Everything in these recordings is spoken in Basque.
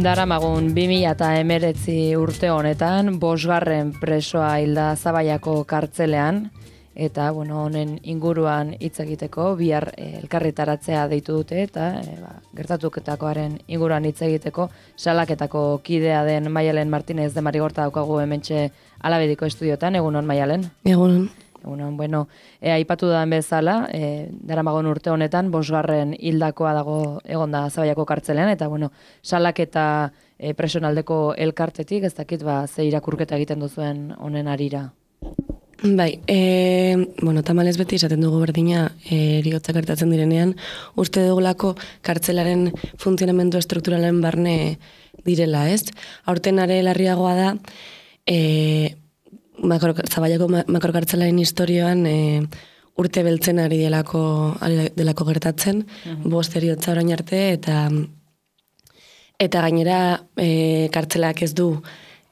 Daramagun 2019 urte honetan, 5. presoa hilda Zabaiako kartzelean, eta honen inguruan hitz egiteko bihar elkarritaratzea deitu dute eta gertatuketakoaren inguruan hitz egiteko salaketako kidea den Maialen Martinez de Marigorta daukagu hementxe Alabediko estudiotan. Egunon, Maialen? Egunon. Egunon, aipatu da bezala, Daramagun urte honetan 5. hildakoa dago egonda Zabaiako kartzelean, eta salaketa presonaldeko elkartetik, ez dakit ze irakurketa egiten duzuen honen arira. Bai, tamalez beti esaten dugu berdina heriotzak gertatzen direnean, uste dugulako kartzelaren funtzionamendu estrukturalen barne direla, ez? Aurten are larriagoa da, Zabaiako makrokartzelaren historioan urte beltzen ari delako gertatzen, 5 heriotza orain arte, eta gainera kartzelak ez du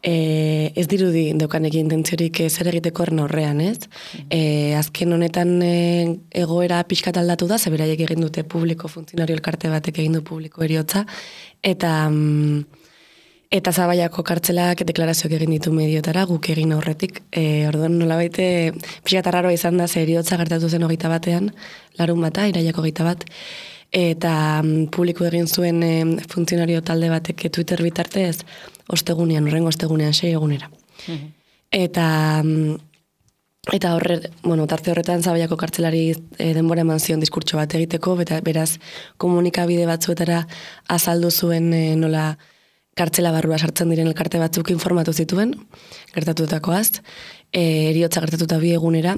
ez dirudi daukanekin intentziorik zer egiteko horrean, ez? Azken honetan egoera pixkat aldatu da, zeberaiek egin dute publiko, funtzionario elkarte batek egin du publiko heriotza, eta Zabaiako kartzelak deklarazioak egin ditu mediotara, guk egin aurretik. Orduan nolabait pixkat arraroa izan da, ze heriotza gertatu zen 21, larun bata, iraiako 21, eta publiko egin zuen funtzionario talde batek Twitter bitartez, horrengo ostegunean 6 egunera. Eta tarte horretan Zabaiako kartzelari denbora eman zion diskurtso bat egiteko, beraz komunikabide batzuetara azaldu zuen nola kartzela barrua sartzen diren elkarte batzuk informatu zituen, gertatutakoaz, heriotza gertatuta 2 egunera.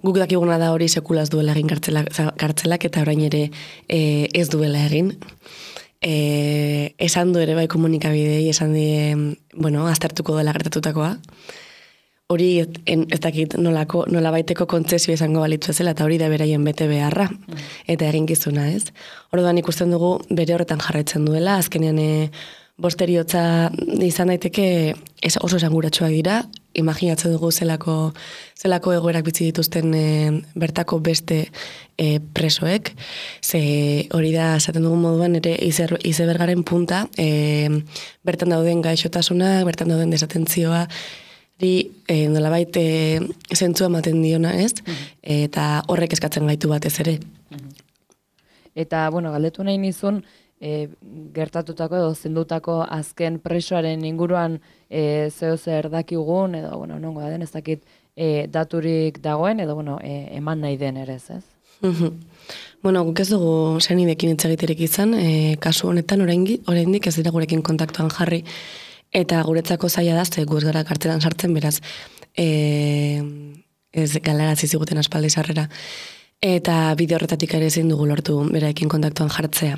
Guk dakiguna da hori sekulaz duela egin kartzelak, eta orain ere ez duela egin. Esan du ere bai komunikabidei, esan die, aztertuko dela gertatutakoa. Hori ez dakit nola baiteko kontzesio izango balitzu ezela, eta hori da beraien bete beharra, eta eginkizuna, ez? Orduan ikusten dugu bere horretan jarraitzen duela, azkenean 5 heriotza izan daiteke oso esanguratsuak dira, imaginatzen dugu zelako egoerak bizi dituzten bertako beste presoek, ze hori da esaten dugun moduan ere izebergaren punta, bertan dauden gaixotasunak, bertan dauden desatentzioa, nolabait zentzua ematen diona, ez? Eta horrek eskatzen gaitu batez ere. Eta, galdetu nahi nizun, gertatutako edo zendutako azken presoaren inguruan zeo zer dakigun, edo, nongo da den, ez dakit daturik dagoen, edo, eman nahi den ere, ez? Guk ez dugu senidekin hitz egiterik izan, kasu honetan oraindik ez dira gurekin kontaktuan jarri, eta guretzako zaila da, ze gu ez gara kartzelan sartzen, beraz, ez galarazi ziguten aspaldi sarrera. Eta bide horretatik ere ezin dugu lortu beraekin kontaktuan jartzea.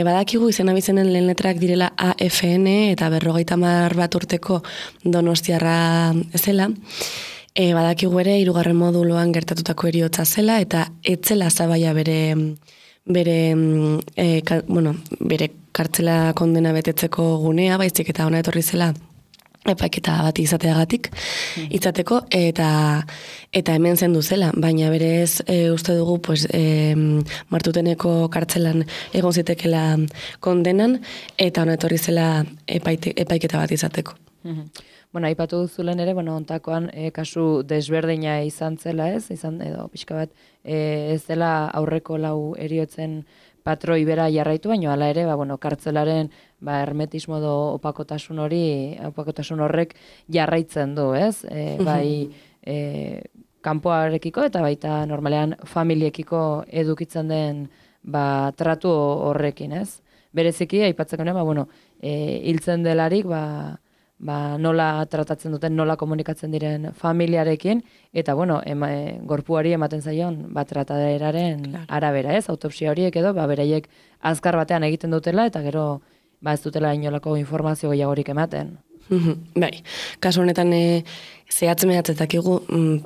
Badakigu izen abizenen lehen letrak direla AFN eta 50 bat urteko donostiarra zela. Badakigu ere 3. moduloan gertatutako heriotza zela, eta etzela Zabaia bere kartzela kondena betetzeko gunea, baizik eta ona etorri zela epaiketa bat izateagatik, izateko, eta hemen zendu zela, baina berez uste dugu Martuteneko kartzelan egon zitekela kondenan, eta ona etorri zela epaiketa bat izateko. Aipatu duzulen ere, ontakoan kasu desberdina izan zela, ez? Edo pixka bat ez dela aurreko 4 heriotzen patroi bera jarraitu, baina hala ere, kartzelaren hermetismo edo opakotasun horrek jarraitzen du, ez? Bai kanpoarekiko eta baita normalean familiekiko edukitzen den tratu horrekin, ez? Bereziki, aipatzeko hiltzen delarik, nola tratatzen duten, nola komunikatzen diren familiarekin, eta, gorpuari ematen zaion, trataderaren arabera, ez? Autopsia horiek edo, beraiek azkar batean egiten dutela, eta gero, ez dutela inolako informazio gehiagorik ematen. Bai, kasu honetan zehatz mehatzetak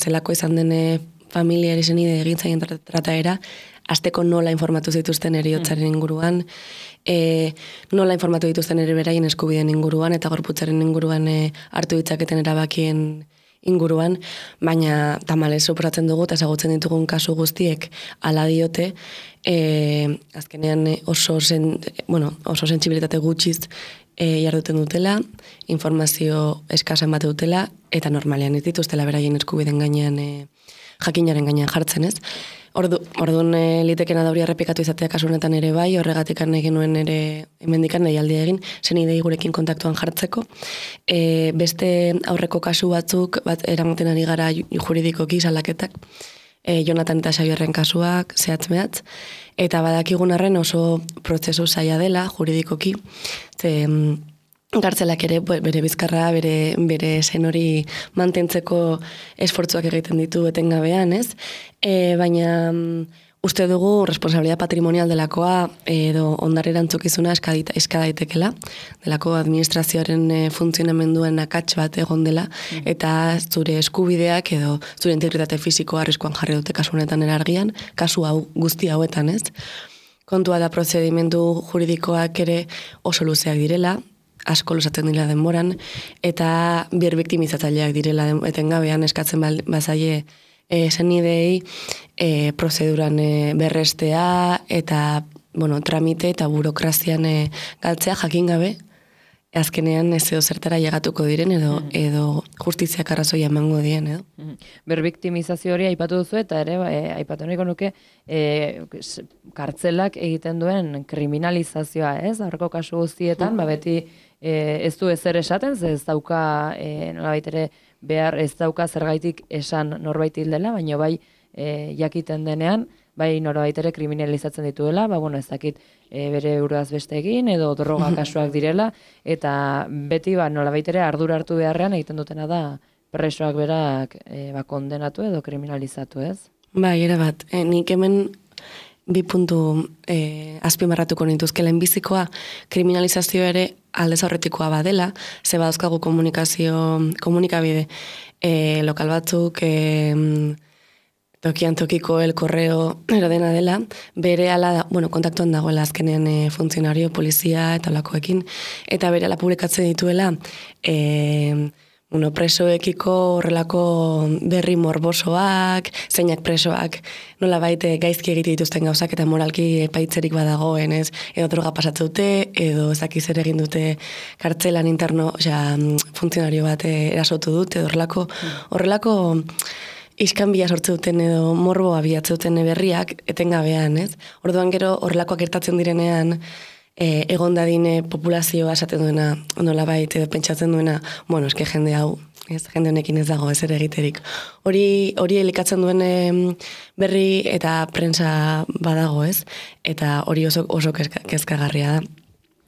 zelako izan den familiari zenide egin zaien trataera, azteko nola informatu zituzten heriotzaren inguruan, nola informatu dituzten ere beraien eskubideen inguruan, eta gorputzaren inguruan hartu ditzaketen erabakien inguruan, baina tamalez suposatzen dugu eta ezagutzen ditugun kasu guztiek hala diote, azkenean oso sentsibilitate gutxiz jarduten dutela, informazio eskasen bat dutela, eta normalean ez dituztela beraien eskubiden gainean, jakinaren gainean jartzen, ez? Orduan litekena da hori errepikatu izatea kasu honetan ere bai, horregatik egin nuen ere hemendikan deialdia egin, senidei gurekin kontaktuan jartzeko. Beste aurreko kasu batzuk, eramaten ari gara juridikoki salaketak, Jonatan eta Xabierren kasuak, zehatz-mehatz, eta badakigun arren oso prozesu zaila dela juridikoki, gartzelak ere bere bizkarra, bere zen hori mantentzeko esfortzuak egiten ditu etengabean, ez? Baina uste dugu responsabilidad patrimonial delakoa edo ondare erantzukizuna eska daitekela, delako administrazioaren funtzionamenduen akats bat egon dela, eta zure eskubideak edo zure integritate fisikoa arriskuan jarri dute kasu honetan erargian, kasu hau guzti hauetan, ez? Kontua da prozedimentu juridikoak ere oso luzeak direla, asko luzatzen dira denboran, eta bir biktimizatzaileak direla etengabean eskatzen bazaie senidei prozeduran berrestea eta tramite eta burokrazian galtzea jakin gabe, azkenean ez edo zertara llegatuko diren edo justiziak arrazoia emango dien, edo. Berbiktimizazio hori aipatu duzu eta ere aipatu nahiko nuke kartzelak egiten duen kriminalizazioa, ez? Aurreko kasu guztietan, beti ez du ezer esaten, ez dauka nolabait ere behar ez dauka zergaitik esan norbait hildela, baina bai jakiten denean, bai norbait ere kriminalizatzen dituela, ez dakit bere buruaz beste egin edo droga kasuak direla, eta beti nolabait ere ardura hartu beharrean egiten dutena da presoak berak kondenatu edo kriminalizatu, ez? Bai, erabat, nik hemen bi puntu azpimarratuko nituzke lehenbizikoa, kriminalizazio ere aldez aurretikoa badela, ze badauzkagu komunikabide lokal batzuk, tokian tokiko el korreo erodena dela, bere ala, kontaktuan dagoela azkenean funtzionario, polizia eta olakoekin, eta bere ala publikatzen dituela, presoekiko horrelako berri morbosoak, zeinak presoak, nola baite gaizki egite dituzten gauzak eta moralki epaitzerik badagoen, ez? Edo droga pasatzen dute, edo ezakiz ere egin dute kartzelan interno, funtzionario bat erasotu dute, edo horrelako iskanbila sortze duten edo morboa bilatze duten berriak etengabean, ez? Orduan gero horrelakoak gertatzen direnean, egon dadine populazioa esaten duena, nolabait edo pentsatzen duena, eske jende hau, jende honekin ez dago ezer egiterik. Hori elikatzen duen berri eta prensa badago, ez? Eta hori oso kezkagarria da.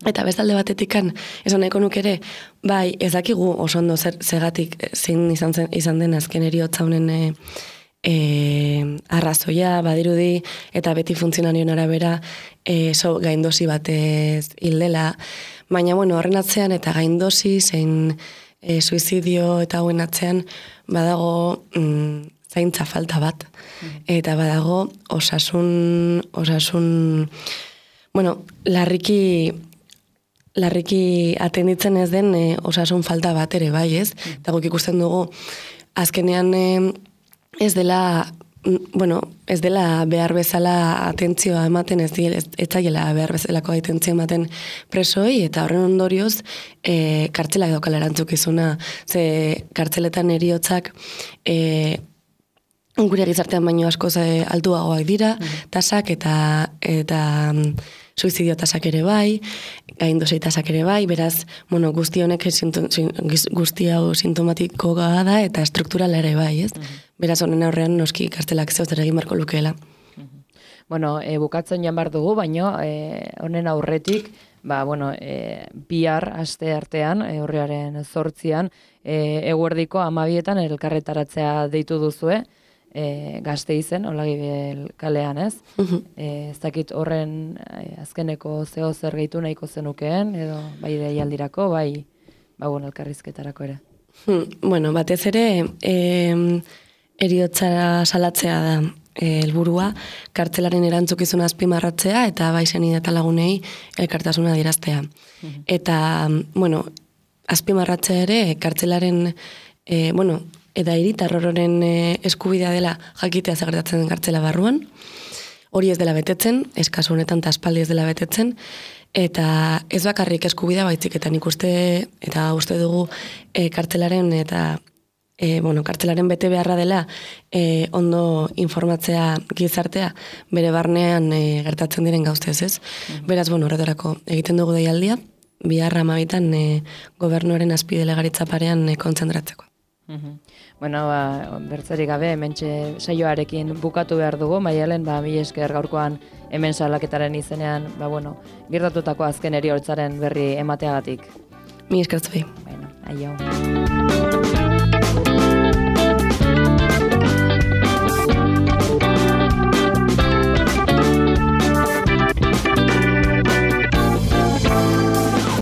Eta bestalde batetikan, esan nahiko nuk ere, bai, ez dakigu oso ondo zegatik zein izan den azken eriotza honen arrazoia, badirudi, eta beti funtzionarioen arabera gaindosi batez hildela. Baina, horren atzean eta gaindosi, zein suizidio eta hauen atzean, badago zaintza falta bat. Eta badago osasun larriki atenditzen ez den osasun falta bat ere, bai, ez? Eta guk ikusten dugu, azkenean ez dela behar bezala atentzioa ematen, ez zaiela behar bezalako atentzioa ematen presoi, eta horren ondorioz kartzelak daukala erantzukizuna, ze kartzeletan heriotzak gure gizartean baino askoz altuagoak dira, tasak eta suizidio tasak ere bai, gaindosei tasak ere bai, beraz, guzti honek guzti hau sintomatikoa da eta strukturala ere bai, ez? Beraz, honen aurrean noski kartelak zeu zer egin barko lukeela. Bukatzen jan bar dugu, baino honen aurretik, bihar aste artean, urriaren 8an, eguerdiko 12etan elkarretaratzea deitu duzue, Gasteizen, Olagibel kalean, ez? Ez dakit horren azkeneko zeo zer gehitu nahiko zenukeen, edo bai deialdirako, bai elkarrizketarako ere. Batez ere, heriotza salatzea da helburua, kartzelaren erantzukizuna azpimarratzea, eta bai senide eta lagunei elkartasuna adieraztea. Eta, azpimarratzea ere, kartzelaren, eta hiritar horren eskubidea dela jakitea zagertatzen den kartzela barruan. hori ez dela betetzen, eskazu honetan eta aspaldi ez dela betetzen, eta ez bakarrik eskubidea baitzik, eta nik uste, eta uste dugu kartzelaren eta kartzelaren bete beharra dela ondo informatzea gizartea bere barnean gertatzen diren gauztez, ez? Beraz, horretarako egiten dugu deialdia, biharra 12 gobernuaren azpidelegaritza parean kontzentratzeko. Bertzerik gabe, hementxe saioarekin bukatu behar dugu, Maialen, mila esker gaurkoan hemen salaketaren izenean, gertatutako azken heriottzaren berri emateagatik. Mila esker zuei. Aio.